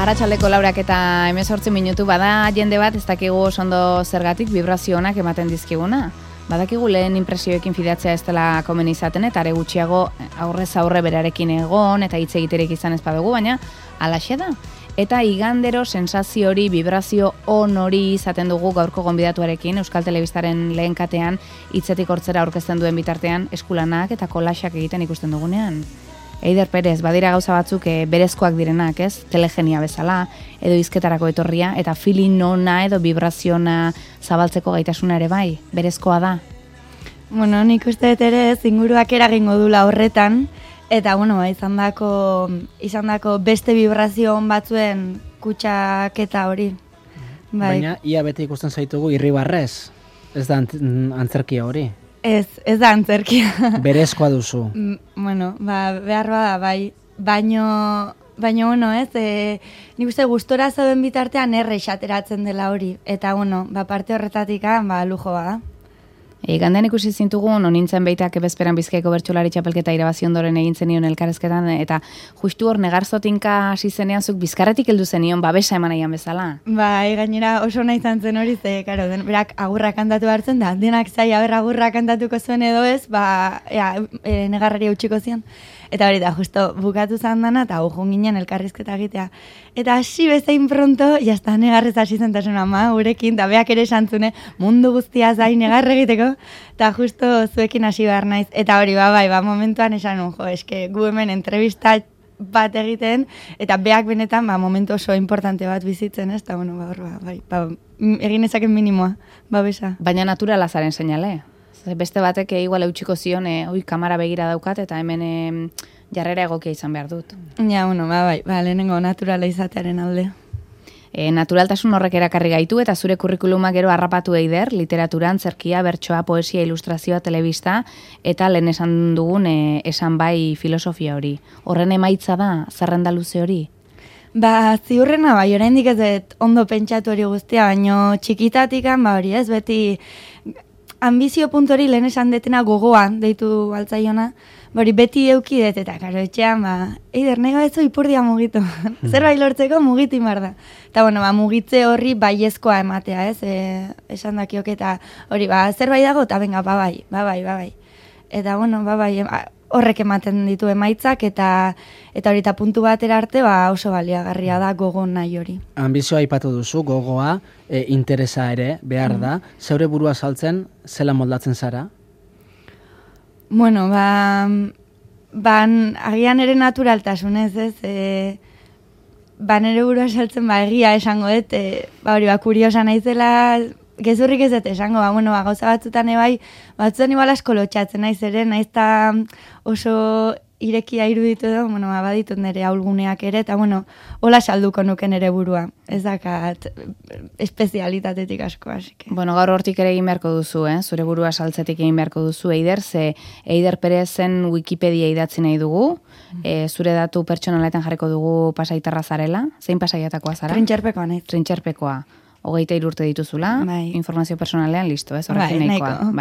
Arratsaldeko 4 eta 18 minutu bada jende bat ez dakigu ondo zergatik vibrazio onak ematen dizkiguna. Badakigu lehen inpresioekin fidatzea ez dela komen izaten eta are gutxiago aurrez aurre berarekin egon eta hitz egiterik izan ez badugu, baina halaxe da. Eta igandero sensazio hori, vibrazio on hori izaten dugu gaurko gonbidatuarekin Euskal Telebistaren lehen katean hitzetik hortzera aurkezten duen bitartean eskulanak eta kolaxak egiten ikusten dugunean. Eider Perez, badira gauza batzuk berezkoak direnak, ez? Telegenia bezala, edo hizketarako etorria, eta feeling ona edo vibraziona zabaltzeko gaitasuna ere bai, berezkoa da. Bueno, nik uste dut ere inguruak eragingo dula horretan, eta bueno, izan dako beste vibrazio on batzuen kutsaketa hori. Bai. Baina, ia bete ikusten zaitugu irribarrez, ez da antzerkia hori. Ez da antzerkia. Berezkoa duzu. Bueno, behar bada, bai. Baino, bueno, ez, nik uste gustora zauden bitartean esateratzen dela hori. Eta, bueno, parte horretatik, lujo bada. Gandean ikusi zintugun, onintzen beitak bezperan Bizkaiko bertsolari txapelketa irabazi ondoren egin zenion elkarrezketan, eta justu hor negarzotinka hasi zenean zuk bizkarretik heldu zenion babesa eman nahian bezala. Bai, gainera oso nahi izan zen hori, ze, karo, berak agurra kantatu hartzen da, denak zai, agurra kantatuko zuen edo ez, negarrari eutxiko zion. Eta hori da, justo bukatu zan dana, eta ujun ginen elkarrizketa egitea. Eta hasi bezain pronto, jazta negarrez hasi zentasun ama, gurekin, da beak ere esantzune, mundu guztia zain negarre egiteko, eta justo zuekin hasi behar naiz. Eta hori, momentuan esan eske gu hemen entrevista bat egiten, eta beak benetan, momentu oso importante bat bizitzen, ez? Eta, bueno, egin ezaken minimoa, besa. Baina naturala zaren seinale. Beste batek igual eutxiko zion, kamera begira daukat, eta hemen jarrera egokia izan behar dut. Ja, bueno, lehenengo naturala izatearen alde. Naturaltasun horrek erakarri gaitu, eta zure kurrikuluma gero harrapatu eider, literaturan, zerkia, bertsoa, poesia, ilustrazioa, telebista, eta lehen esan dugun esan bai filosofia hori. Horren emaitza da, zerrenda luze hori? Ziurrena, oraindik ez dut ondo pentsatu hori guztia, baino txikitatikan, hori ez, beti ambizio puntori lehen esan detena gogoa, deitu altzaiona, beti eukidet, eta karo etxean, eider, nahi ez ipurdia mugitu. Zerbait lortzeko mugitu imar da. Eta, bueno, mugitze horri baiezkoa ematea, ez? Esan dakiok, eta hori, zerbait dago, eta benga, bai. Eta, bueno, horrek ematen ditu emaitzak, eta hori, eta puntu batera arte, oso baliagarria da gogo nahi hori. Ambizioa aipatu duzu, gogoa, interesa ere, behar da. Zeure burua saltzen, zela moldatzen zara? Bueno, agian ere naturaltasunez, ez? Nere burua saltzen, egia esango dut, hori, kuriosa naizela, gezurrik ez dut esango, gauza batzutan ebai, batzutan igual asko lotxatzen naiz ere, naiz eta oso irekia iruditu edo, baditut nire aulguneak ere, eta hola salduko nuken ere burua, ez dakat espezialitatetik asko, asike. Gaur hortik ere egin beharko duzu, zure burua saltzetik egin beharko duzu, Eider, ze Eider Perezen Wikipedia idatzi nahi dugu, zure datu pertsonaletan jarriko dugu pasaitarra zarela, zein pasaiatakoa zara? Trintxerpekoa nahi. Trintxerpekoa. 23 urte dituzula, informazio personalean listo, ez? Horrekin nahikoa.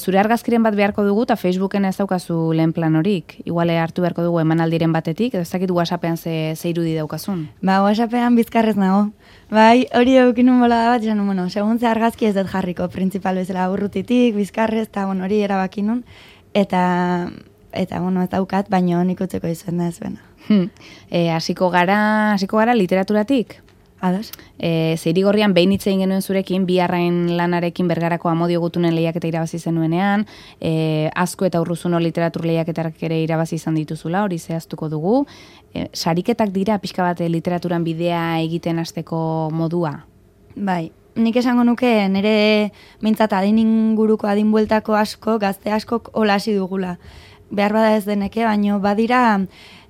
Zure argazkiren bat beharko dugu, eta Facebooken ez daukazu lehen plan horik. Iguale hartu beharko dugu emanaldiren batetik, edo ez dakit WhatsAppean ze irudi daukazun. WhatsAppean bizkarrez nago. Hori eukinun bola da bat, esan, segun ze argazki ez dut jarriko, principal bezala urrutitik, bizkarrez, eta hori erabakinun, eta ez daukat, baina nik utzeko izuen da ez bena. Hasiko gara literaturatik? Ados. Zeirigorrian behin hitz egin genuen zurekin, biharrain lanarekin Bergarako Amodio Gutunen lehiaketa irabazi zenuenean, Azko eta Urruzuno literatur lehiaketak ere irabazi izan dituzula, hori zehaztuko dugu. Sariketak dira pixka bat literaturan bidea egiten hasteko modua? Bai, nik esango nuke nire mintzat adin inguruko adin bueltako asko, gazte askok hola hasi dugula. Behar bada ez deneke, baino badira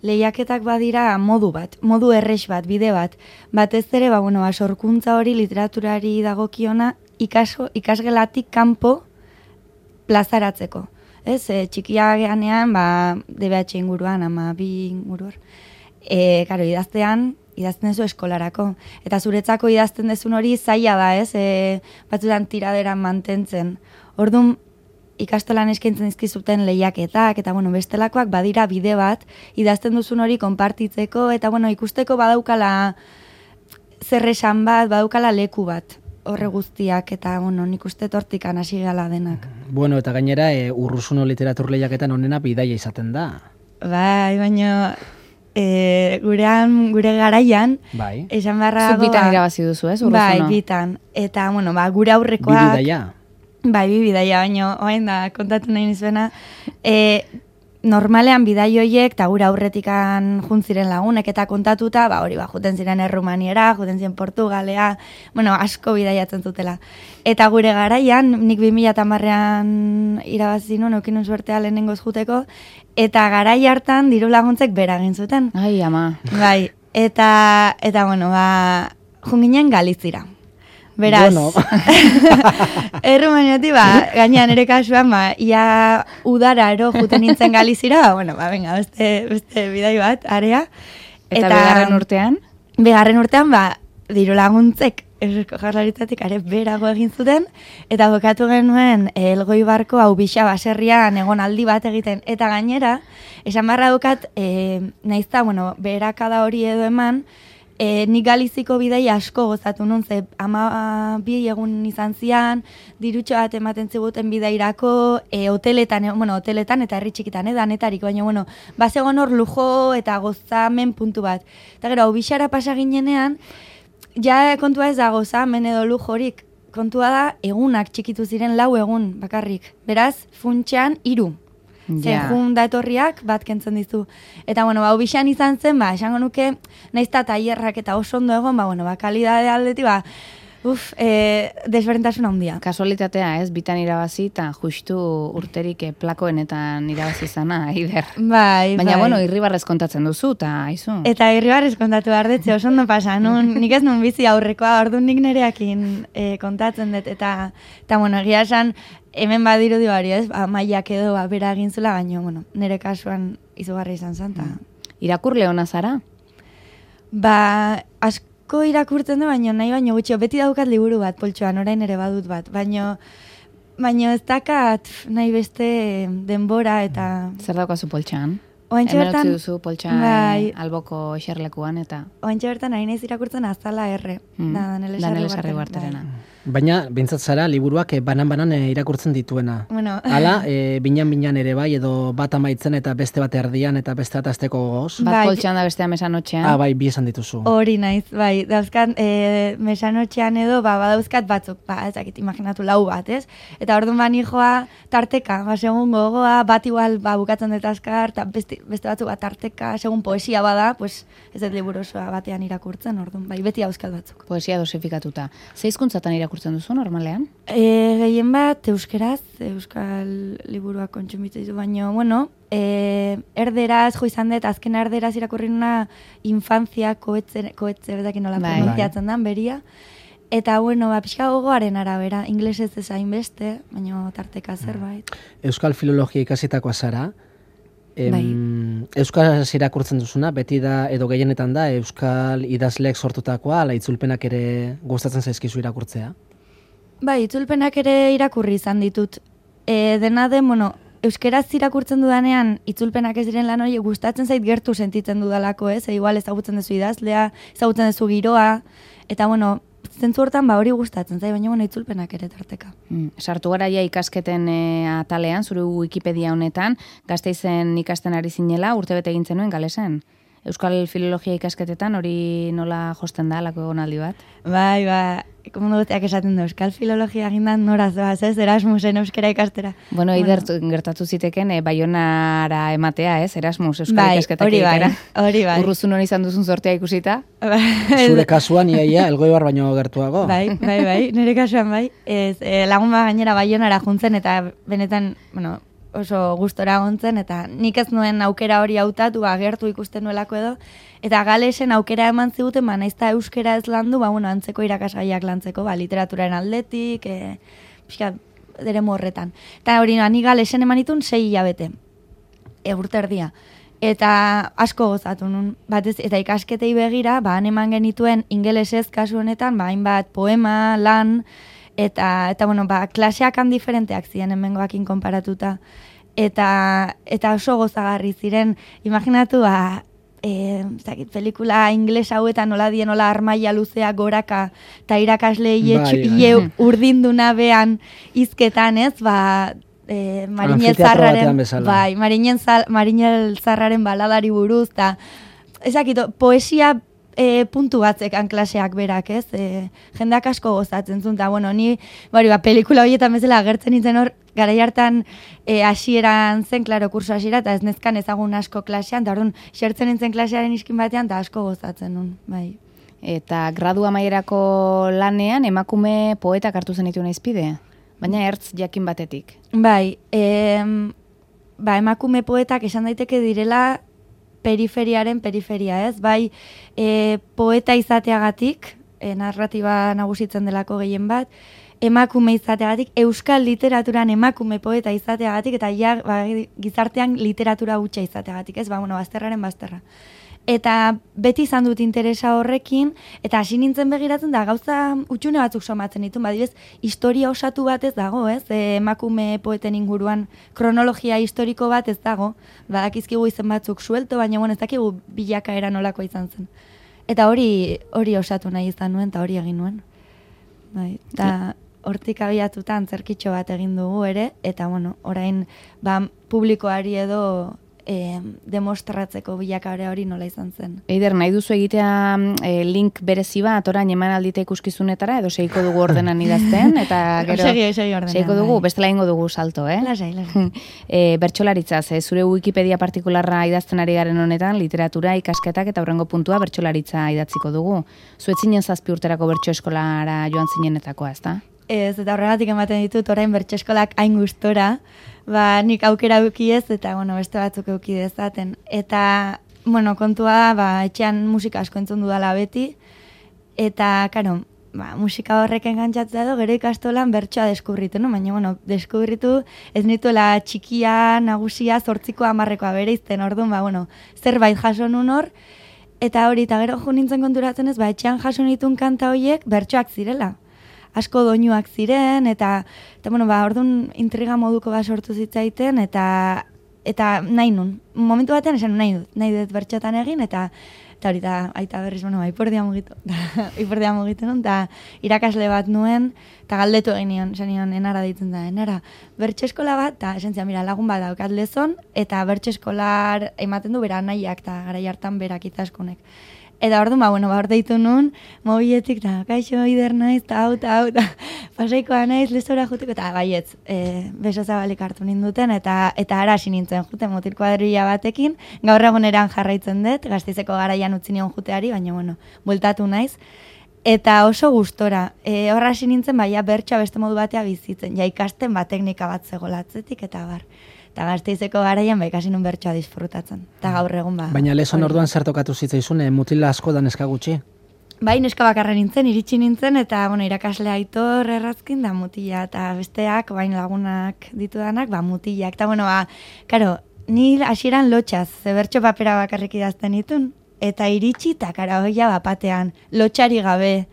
lehiaketak badira modu bat, modu errex bat, bide bat. Batez ere, sorkuntza hori literaturari dagokiona ikasgelatik kanpo plazaratzeko. Ez, txikia geanean, DBH inguruan, 2 inguruan. Idazten dezu eskolarako. Eta zuretzako idazten dezun hori zaila da, ez? Batzutan tiraderan mantentzen. Orduan, ikastolan eskaintzen dizkizuten lehiaketak, eta bueno, bestelakoak badira bide bat, idazten duzun hori konpartitzeko, eta bueno, ikusteko badaukala zer esan bat, badaukala leku bat, horre guztiak, eta bueno, nik uste tortikan hasi gala denak. Bueno, eta gainera, Urruzuno literatur lehiaketan onena bidaia izaten da. Bai, baina gure garaian, Bai. esan barra... Zuk bitan irabazi duzu, ez, Urruzuno? Bai, bitan. Eta, bueno, gure aurrekoak... Bi bidaia? Bai, bi bidaia, baina orain da kontatu nahi nizuena. Normalean bidai horiek, eta gure aurretikan juntziren lagunek eta kontatuta, hori juten ziren Errumaniera, juten ziren Portugalea, bueno, asko bidaiatzen zutela. Eta gure garaian, nik 2010an irabazi nuen, eukinun suertea lehenengoz juteko, eta garai hartan diru laguntzek bera egin zuten. Ai, ama. Bai, eta bueno, junginen Galizira. Beraz, bueno. Errumaniatik, gainean ere kasuan, ia udara ero juten nintzen Galizira, bueno, venga, beste bidai bat, area. Eta begarren urtean? Begarren urtean, diru laguntzek, Eusko Jaurlaritzatik are berago egin zuten, eta bokatu genuen Elgoibarko hau bixa baserrian egon aldi bat egiten, eta gainera, esan barra dukat, naizta, bueno, berakada hori edo eman, nik Galiziko bidei asko gozatu nun, ze 12 egun izan zian, dirutxo bat ematen ziguten bidairako, hoteletan eta herri txikitan, danetarik, baina, bueno, bazegon hor lujo eta gozamen puntu bat. Eta gero, hau bixara pasa ginenean, ja kontua ez da gozamen edo lujorik, kontua da egunak txikitu ziren 4 egun bakarrik. Beraz, funtsean 3. Zehun da etorriak bat kentzen dizu. Eta, bueno, hau bixan izan zen, esango nuke, naizta tailerrak eta oso ondo egon, kalidade aldeti, desberdintasun handia. Kasualitatea, ez, bitan irabazi, eta justu urterik plakoenetan irabazi zana, Aider. Bai. Baina, bueno, irribarrez kontatzen duzu, eta aizu. Eta irribarrez kontatu behar dut, oso ondo pasa, nik ez nun bizi aurrekoa, orduan nik nereakin kontatzen dut, eta bueno, egia esan, hemen badiru dibari, ez, maiak edo bera egin zula, baina, bueno, nire kasuan izugarri izan zen. Irakurle hona zara? Asko irakurtzen du, baina gutxi, beti daukat liburu bat, poltsoan, orain ere badut bat, baina ez dakat nahi beste denbora eta... Zer daukazu poltsan? Oantxe Hemen bertan... utzi duzu poltsan alboko eserlekuan, eta... Oantxe bertan nahi naiz irakurtzen Azala R. Danele Sarribarterena. Baina, bintzat zara, liburuak banan-banan irakurtzen dituena. Bueno. Hala, binan-binan ere bai, edo bat amaitzen eta beste bat erdian eta beste bat azteko gogoz. Bat poltsan da bestea mesanotxean. Bai, bi esan dituzu. Hori naiz, bai. Dauzkat, mesanotxean edo, badauzkat batzuk, ezakit, imaginatu 4 bat, ez? Eta orduan bani joa tarteka, segun gogoa, bat igual bukatzen dut azkar, eta beste batzuk bat tarteka, segun poesia bada, pues ez dut liburu osoa batean irakurtzen, orduan, bai, beti dauzkat batzuk. Poesia dosifikatuta. Ze hizkuntzatan irakurtzen duzu normalean? Gehien bat euskeraz, euskal liburuak kontsumitzen ditu, baina, bueno, erderaz, jo izan dut, azken erderaz irakurri nuna infantzia koetze bezakin nola pronuntziatzen dan, beria. Eta, bueno, pixka gogoaren arabera, inglesez ezain beste, baina tarteka zerbait. Euskal filologia ikasitakoa zara, euskaraz irakurtzen duzuna, beti da, edo gehienetan da, euskal idazleek sortutakoa, ala itzulpenak ere gustatzen zaizkizu irakurtzea? Bai, itzulpenak ere irakurri izan ditut. Dena den, bueno, euskeraz irakurtzen dudanean, itzulpenak ez diren lan hori gustatzen zait gertu sentitzen dudalako, ez? Igual ezagutzen duzu idazlea, ezagutzen duzu giroa, eta, bueno, zentzu hortan hori gustatzen zait, baina, bueno, itzulpenak ere tarteka. Sartu gara ja ikasketen atalean, zure Wikipedia honetan, Gasteizen ikasten ari zinela, urtebete egin zenuen galesen. Euskal filologia ikasketetan hori nola josten da, lako egonaldi bat? Bai, komundu guztiak esaten du, Euskal filologia gindan noraz doaz, ez, Erasmusen euskera ikastera. Bueno, gertatu ziteken, Baionara ematea, ez, Erasmus euskara ikasketak egitera. Hori bai. Urruzun hori izan duzun sortea ikusita? Zure kasuan, iaia, Elgoibar baino gertuago. Bai, nire kasuan bai. Lagun gainera Baionara juntzen eta benetan, bueno, oso gustora gontzen, eta nik ez nuen aukera hori hautatu, gertu ikusten nuelako edo, eta galesen aukera eman ziguten, naizta euskera ez landu, antzeko irakasgaiak lantzeko, literaturaren aldetik, pixka, deremu horretan. Eta hori, ni galesen eman ditun 6 hilabete, urte erdia. Eta asko gozatu nun, batez, eta ikasketei begira, han eman genituen ingelesez kasu honetan, hainbat poema, lan, Eta bueno, klaseak han diferenteak ziren hemengoakin konparatuta. Eta oso gozagarri ziren, imaginatu, pelikula ingles hauetan nola dien, nola armaia luzea goraka, eta irakasle ie urdinduna behan izketan, ez, Marinel Zarraren baladari buruz, eta ezakito, poesia puntu batzekan klaseak berak, ez? Jendeak asko gozatzen zuen, eta bueno, ni pelikula horietan bezala agertzen nintzen hor, garai hartan hasieran zen, klaro, kurso hasiera, eta ez nezkan ezagun asko klasean, eta orduan xertzen nintzen klasearen iskin batean, eta asko gozatzen nun, bai. Eta gradu amaierako lanean emakume poetak hartu zen ditu naizpide? Baina ertz jakin batetik. Bai, emakume poetak esan daiteke direla periferiaren periferia, ez? Bai, poeta izateagatik, narratiba nagusitzen delako gehien bat, emakume izateagatik, euskal literaturan emakume poeta izateagatik, eta gizartean literatura hutsa izateagatik, ez? Bazterraren bazterra. Eta beti izan dut interesa horrekin, eta hasi nintzen begiratzen da gauza utxune batzuk somatzen ditu, badibez, historia osatu bat ez dago, ez? Emakume poeten inguruan kronologia historiko bat ez dago, badakizkigu izen batzuk suelto, baina ez dakigu bilakaera nolako izan zen. Eta hori osatu nahi izan nuen, eta hori egin nuen. Bai, eta hortik abiatuta antzerkitxo bat egin dugu ere, eta orain publikoari edo demostratzeko bilakare hori nola izan zen. Eider, nahi duzu egitea link berezi bat, orain eman aldite ikuskizunetara, edo seiko dugu ordenan idazten, eta gero... Segi ordenan. Seiko dugu, bestela ingo dugu salto, Lasai. Bertsolaritzaz, zure Wikipedia partikularra idazten ari garen honetan, literatura, ikasketak eta hurrengo puntua bertsolaritza idatziko dugu. Zuetzinen 7 urterako bertso eskolara joan zinenetakoa, ezta? Ez, eta horregatik ematen ditut orain bertso eskolak hain gustora, nik aukera eukiez, eta, beste batzuk euki dezaten. Eta, kontua, etxean musika asko entzun dudala beti, eta, musika horrek engantzatzen edo, gero ikastolan bertsoa deskubritu, no? Baina, deskubritu ez nituela txikia, nagusia, 8ko 10koa bere izten, orduan, zerbait jaso nun hor, eta hori, eta gero jo nintzen konturatzen ez, etxean jaso nituen kanta horiek bertsoak zirela. Asko doinuak ziren, eta orduan intriga moduko bat sortu zitzaiten, eta nahi nun. Momentu batean esan nahi dut bertxotan egin, eta hori da, aita berriz, ipordia mugitu. Ipordia mugitu nun, eta irakasle bat nuen, eta galdetu egin nion, esan nion, enara ditzen da, enara. Bertxo eskola bat, eta esentzia, lagun bat daukat lezon, eta bertxo eskolar ematen du bera nahiak, eta garai hartan berak itaskunek. Eta orduan, hor deitu nun, mobiletik, eta kaixo, Eider naiz, eta hau, pasaikoa naiz, lezora juteko, eta baietz, beso zabalik hartu ninduten, eta ara hasi nintzen juten mutil kuadrilla batekin, gaur eguneran jarraitzen dut, Gasteizeko garaian utzi nion juteari, baina, bueltatu naiz, eta oso gustora, horra hasi nintzen, bertsoa beste modu batea bizitzen, ikasten teknika bat zegolatzetik, eta bar. Eta Gasteizeko garaian ikasi nun bertsoa disfrutatzen. Eta gaur egun Baina lezon orduan zer tokatu zitzaizun, mutila asko da neska gutxi? Bai, neska bakarra nintzen, iritsi nintzen, eta irakasle Aitor Errazkin da mutila, eta besteak, lagunak ditudanak, mutilak. Eta, karo, ni hasieran lotxaz, bertso papera bakarrik idazten ditun, eta iritsi, eta kara, hoia bapatean, lotxari gabe.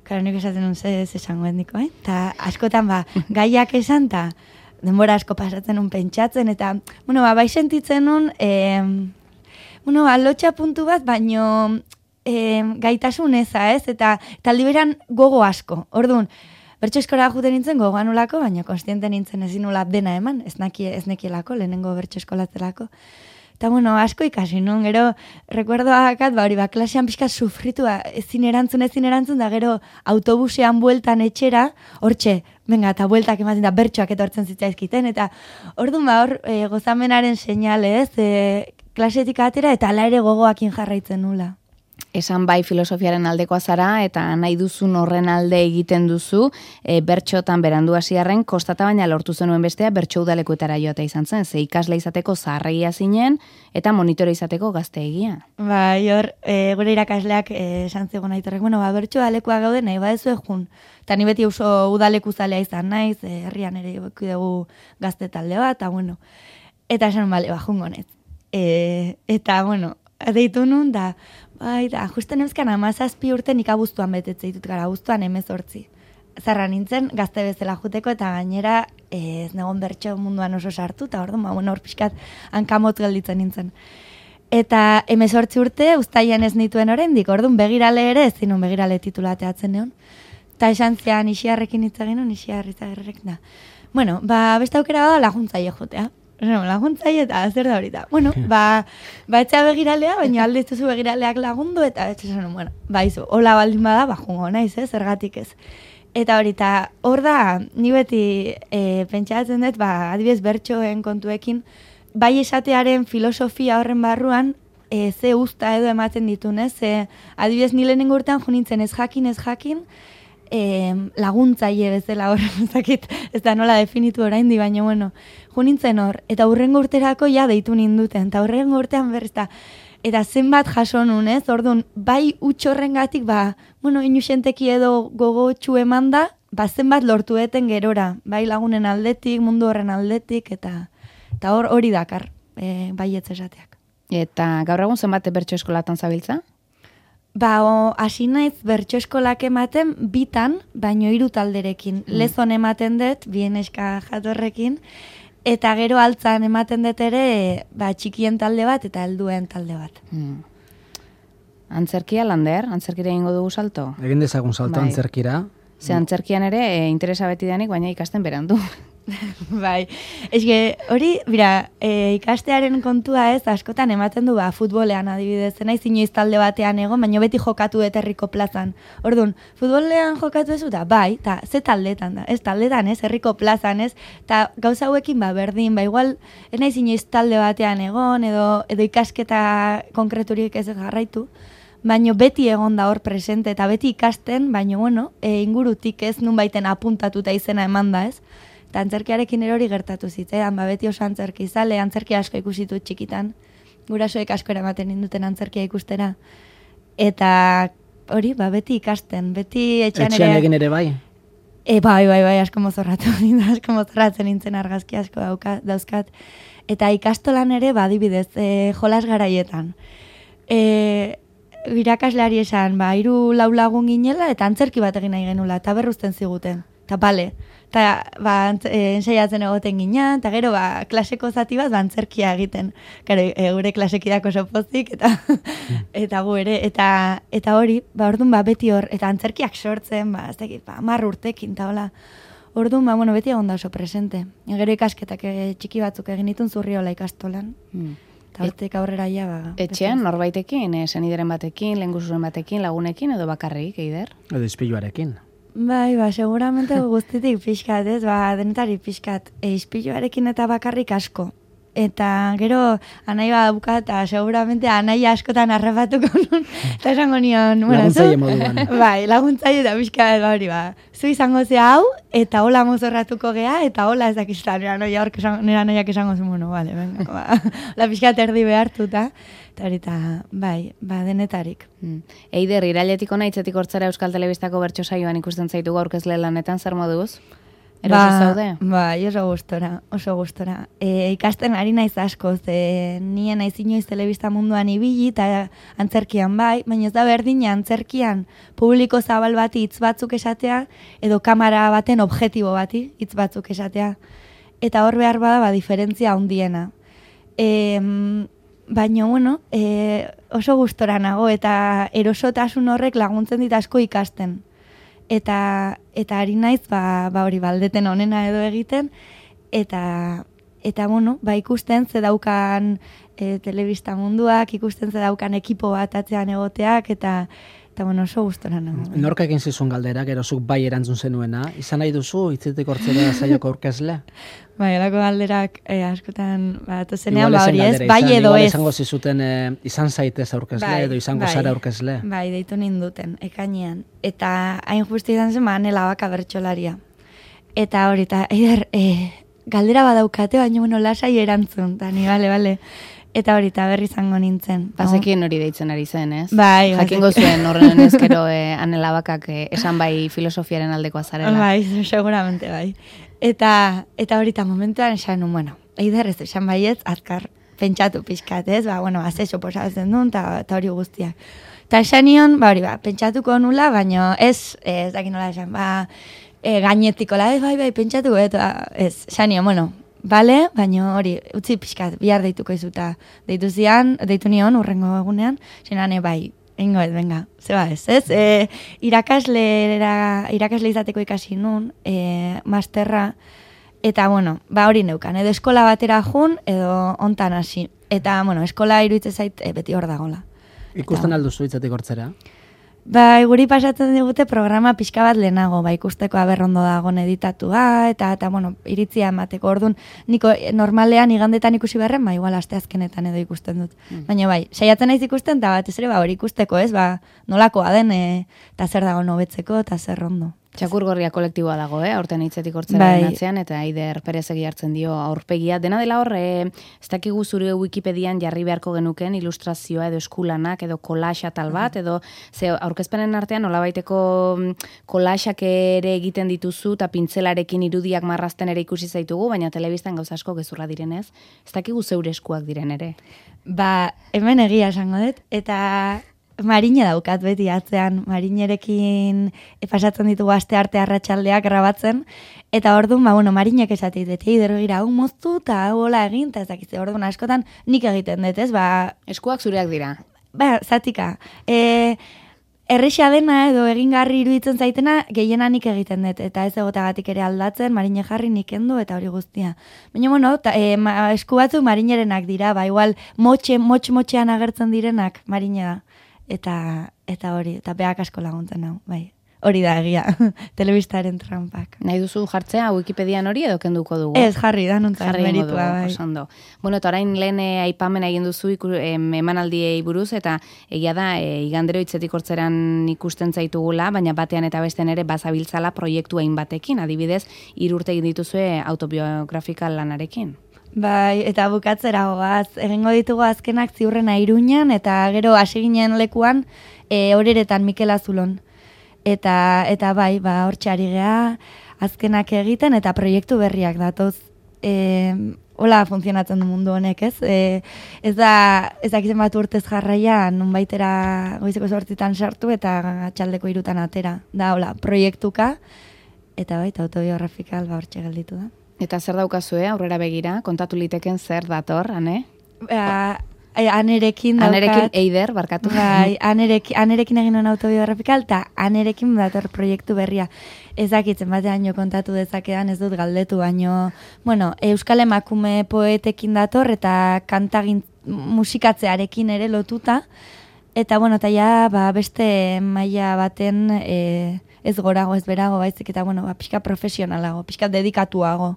Karo, nik esaten nun zesangoen diko, Eta askotan, gaiak esan, eta denbora asko pasatzen nun pentsatzen, eta, bai sentitzen nun, lotxa puntu bat, baino gaitasun eza, ez? Eta aldi beran gogo asko. Orduan, bertso eskora juten nintzen gogoan ulako, baina konstiente nintzen ezin nula dena eman, ez nekielako, lehenengo bertso eskolatzelako. Eta, asko ikasi nun, gero, rekuerdoakat, klasean pixka sufritu, ezin erantzun, da gero autobusean bueltan etxera, hortxe, eta bueltak ematen da bertsoak etortzen zitzaizkiten, eta orduan hor gozamenaren seinale, ez, klasetik atera, eta ala ere gogoakin jarraitzen nula. Esan bai filosofiaren aldekoa zara, eta nahi duzun horren alde egiten duzu, bertxotan berandu hasiarren kostata baina lortu zenuen bestea bertso udalekuetara joatea izan zen, ze ikasle izateko zaharregia zinen, eta monitore izateko gazteegia. Bai, hor, gure irakasleak esan zegoen Aitorrek, bertso udalekoa gaude nahi badezu egun. Eta ni beti oso udaleku zalea izan naiz, herrian ere dugu gazte talde bat, eta esan bale, jungo nez. Eta, deitu nun, da, justen euskan 17 urte nik abuztuan betetze ditut gara, abuztuan 18. zarra nintzen, gazte bezala juteko, eta gainera ez negon bertso munduan oso sartu, eta orduan, hor pixkat hankamot gelditzen nintzen. Eta 18 urte, uztaian ez nituen oraindik, orduan begirale ere, ez zinun begirale titulateatzen neon. Eta esan zean Ixiarrekin hitz egin, Ixiarrek da. Bueno, beste aukera bada laguntzaile jotea. Laguntzaile eta zer da horita. Bueno, etxea begiralea, baina alde ez begiraleak lagundu, eta esan, bueno, izu, hola baldin bada, jungo naiz, zergatik ez. Eta horita, hor da, ni beti pentsatzen dut, adibidez bertsoen kontuekin, bai esatearen filosofia horren barruan, ze usta edo ematen ditun, ze adibidez ni lehenengo urtean junintzen ez jakin, laguntzaile bezala horren ezakit, ez da nola definitu oraindi, baina bueno, junintzen hor, eta hurrengo urterako ja deitu ninduten, eta hurrengo urtean berriz eta zenbat jaso nun, orduan, bai utxorrengatik, bueno, inusenteki edo gogotxu eman da, zenbat lortueten gerora, bai lagunen aldetik, mundu horren aldetik, eta hori dakar, baietz esateak. Eta gaur egun zenbat bertso eskolatan zabiltza? Hasi naiz bertso eskolak ematen bitan, baino 3 talderekin. Lezon ematen dut, bien eska jatorrekin, eta gero altzan ematen dut ere, txikien talde bat eta helduen talde bat. Antzerkia, Lander? Antzerkira egingo dugu salto? Egin dezagun salto antzerkira. Ze antzerkian ere interesa beti denik, baina ikasten berandu. Bai, eske hori, ikastearen kontua ez, askotan ematen du futbolean adibidez, naiz inoiz talde batean egon, baina beti jokatu herriko plazan. Orduan, futbolean jokatu ez da, bai, eta ze taldetan da, ez taldetan ez, herriko plazan ez, eta gauza hauekin berdin, igual, ez naiz inoiz talde batean egon, edo ikasketa konkreturik ez jarraitu, baina beti egon da hor presente, eta beti ikasten, baina bueno, ingurutik ez nun baiten apuntatuta izena eman da ez, eta antzerkiarekin erori gertatu zitzean, beti oso antzerki izale, antzerki asko ikusitu txikitan, gurasoek asko eramaten ninduten antzerkia ikustera. Eta hori, beti ikasten, beti etxean ere... Etxean egin ere bai? Bai, asko mozorratzen nintzen argazki asko dauzkat. Eta ikastolan ere, adibidez, jolas garaietan. Irakasleari esan, 3-4 lagun ginela, eta antzerki bat egin nahi genula, eta berruzten ziguten. Eta bale, eta ensaiatzen egoten gina, eta gero klaseko zati bat antzerkia egiten. Gure klasekidak oso pozik, eta gu ere, eta hori, orduan beti hor, eta antzerkiak sortzen, 10 urtekin, eta hola. Orduan, beti egon da oso presente. Gero ikasketak txiki batzuk egin ditun Zurriola ikastolan. Eta hortik aurrera ja, Etxean, norbaitekin, senideren batekin, lehengusuren batekin, lagunekin, edo bakarrik, Eider? Edo ispiluarekin. Bai, seguramente guztitik pixkat, ez, denetari pixkat, ispiluarekin eta bakarrik asko. Eta gero, anai buka, eta seguramente anai askotan arrapatuko nun, eta esango nion, laguntzaile moduan. Bai, laguntzaile eta pixkat, hori, zu izango ze hau, eta hola mozorratuko gea, eta hola ez dakizta, nera noiak esango zu, bale, venga, la pixkat erdi behartuta, eta horita, bai, denetarik. Eider, irailetik ona hitzetik hortzara Euskal Telebistako bertso saioan ikusten zaitugu aurkezle lanetan, zer moduz? Eroso zaude? Bai, oso gustora. Ikasten ari naiz asko, nien naiz inoiz telebista munduan ibili, eta antzerkian bai, baina ez da berdina antzerkian publiko zabal bati hitz batzuk esatea, edo kamera baten objektibo bati hitz batzuk esatea. Eta hor behar bada, diferentzia handiena. Baina, oso gustora nago, eta erosotasun horrek laguntzen dit asko ikasten. Eta ari naiz, hori baldeten onena edo egiten, eta ikusten ze daukan telebista munduak, ikusten ze daukan ekipo bat atzean egoteak, eta oso gustora nago. Norka egin zizun galderak, erozuk bai erantzun zenuena, izan nahi duzu, hitzetik hortzera saioko aurkezle? Bai, elako galderak askotan, zenean, hori ez, bai edo ez. Izango zizuten izan zaitez aurkezle, edo izango zara aurkezle. Bai, deitu ninduten, ekainean. Eta hain justi izan zen, Anela Baka bertsolaria. Eta hori, eta Eider, galdera badaukate, baina lasai erantzun, eta ni, bale. Eta hori, eta berri izango nintzen. Bazekien hori deitzen ari zen, ez? Bai. Jakingo zuen horren ezkero Anela Bakak esan bai filosofiaren aldekoa zarela. Bai, seguramente bai. Eta hori, eta momentuan esan, Eider ez esan baietz, azkar pentsatu pixkat, ez? Azexo posatzen duen, eta hori guztiak. Eta esan nion, pentsatuko nula, baina ez dakin nola esan, gainetikola, bai, pentsatu, eta ez, xanio, bueno, bale, baina hori, utzi pixkat, bihar deituko izuta. Deitu nion, urrengo egunean, xenane, bai, ingo ez, venga, zeba ez. Irakasle izateko ikasi nun, masterra, eta, bueno, hori neukan, edo eskola batera jun, edo ontan hasi. Eta, bueno, eskola iruditzen zait, beti hor dagola. Ikusten alduzu hitzetik hortzera? Guri pasatzen digute programa pixka bat lehenago, ikusteko aberrondo dagoen editatua, eta bueno, iritzia emateko. Orduan, niko normalean igandetan ikusi beharren, igual asteazkenetan edo ikusten dut. Baina saiatzen naiz ikusten, eta batez ere, hori ikusteko, ez, nolakoa den, eta zer dago hobetzeko, eta zer ondo. Txakurgorria kolektiboa dago, aurten hitzetik hortzaren atzean, eta Eider Perezegi hartzen dio aurpegia. Dena dela hor, ez dakigu zure Wikipedian jarri beharko genuken ilustrazioa edo eskulanak edo kolaxa tal bat, edo ze aurkezpenen artean nolabaiteko kolaxak ere egiten dituzu eta pintzelarekin irudiak marrazten ere ikusi zaitugu, baina telebistan gauza asko gezurra direnez, ez dakigu zeure eskuak diren ere. Hemen egia esango dut, eta Marine daukat beti atzean, Marinerekin pasatzen ditugu aste arte arratsaldeak grabatzen, eta orduan, Marinek esatit, Eider gira, hau moztu, eta hau hola egin, eta ez dakitze, orduan askotan nik egiten dut, ez, eskuak zureak dira. Zatika. Erresa dena edo egingarri iruditzen zaitena, gehiena nik egiten dut, eta ez egotagatik ere aldatzen, Marine jarri nik endu, eta hori guztia. Baina, esku batzuk Marinerenak dira, igual motxean agertzen direnak Marine da. Eta hori, eta beak asko laguntzen hau, bai. Hori da egia, telebistaren trampak. Nahi duzu jartzea Wikipedian hori edo kenduko dugu? Ez, jarri da, nontzak meritua, bai. Osondo. Bueno, eta orain lehen aipamen egin duzu emanaldiei buruz, eta egia da, igandero hitzetik hortzeran ikusten zaitugula, baina batean eta bestean ere bazabiltzala proiektu hain batekin, adibidez, 3 urte egin dituzue autobiografikal lanarekin. Bai, eta bukatzera goaz, egingo ditugu azkenak Ziurrena Iruñan, eta gero hasi ginen lekuan Oreretan Mikel Azulon. Eta bai, hortxe ari gea, azkenak egiten, eta proiektu berriak datoz. Hola funtzionatzen du mundu honek, ez? Ez dakizen bat urtez jarraia, nunbaitera goizeko 8 sartu, eta atxaldeko 3 atera. Da, hola, proiektuka, eta bai, autobiografikal hortxe gelditu da. Eta zer daukazue, aurrera begira, kontatu liteken zer dator, ane? Anerekin daukat. Anerekin Eider, barkatu. Bai, anerekin egin hon autobiografikal, eta anerekin dator proiektu berria. Ezakitzen batean jo kontatu dezakedan, ez dut galdetu, baino, Euskal emakume poetekin dator, eta kantagin musikatzearekin ere lotuta, eta beste maila baten ez gorago, ez berago, baizik, eta pixka profesionalago, pixka dedikatuago.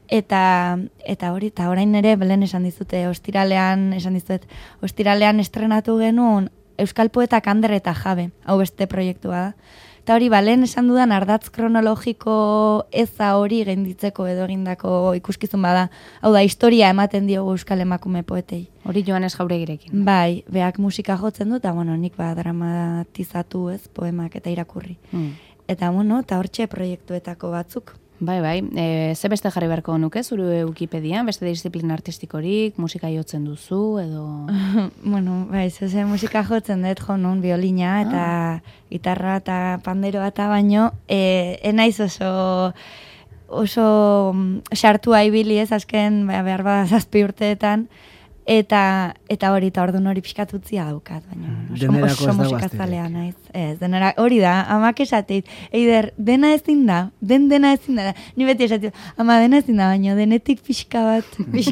Eta hori, eta orain ere, belen esan dizute, ostiralean estrenatu genuen Euskal Poetak Ander eta Jabe, hau beste proiektua da. Eta hori, balen esan dudan ardatz kronologiko eza hori genditzeko edo egindako ikuskizun bada. Hau da, historia ematen diogu Euskal emakume poetei. Hori Joanes Jauregirekin. Bai, beak musika jotzen du, eta nik dramatizatu ez, poemak eta irakurri. Eta eta hortxe proiektuetako batzuk. Bai, ze beste jarri beharko nuke, zure Wikipedian, beste disiplina artistikorik, musika jotzen duzu, edo... Bai, ze musika jotzen dut, nun, biolina, eta gitarra, eta panderoa, eta baino, enaiz oso sartua ibili ez, azken, behar bada 7 urteetan, eta hori, eta orduan hori pixkatutzia daukat, baina oso musikazalea naiz. Ez, denera, hori da, amak esateit, Eider, dena ezin da, dena ezin da, ni beti esateit, ama dena ezin da, baina denetik pixka bat.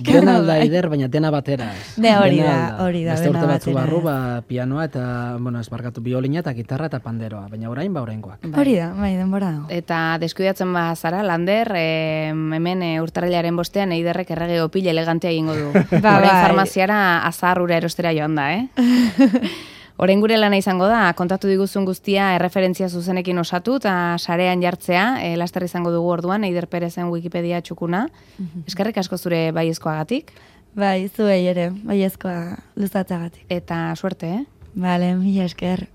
Dena alda, Eider, baina dena batera ez. Hori da, beste urte batzu barru, pianoa eta, ez barkatu, biolina eta gitarra eta panderoa, baina oraingoak. Hori da, bai, denbora dago. Eta deskuidatzen zara, Lander, hemen urtarrilaren bostean Eiderrek errege opil elegantea egingo du. Farmaziara azarrura erostera joan da, Orain gure lana izango da, kontatu diguzun guztia erreferentzia zuzenekin osatu eta sarean jartzea, laster izango dugu orduan, Eider Perezen Wikipedia txukuna. Eskerrik asko zure baiezkoagatik. Bai, zuei ere, baiezkoa luzatzagatik. Eta suerte, Vale, mila esker.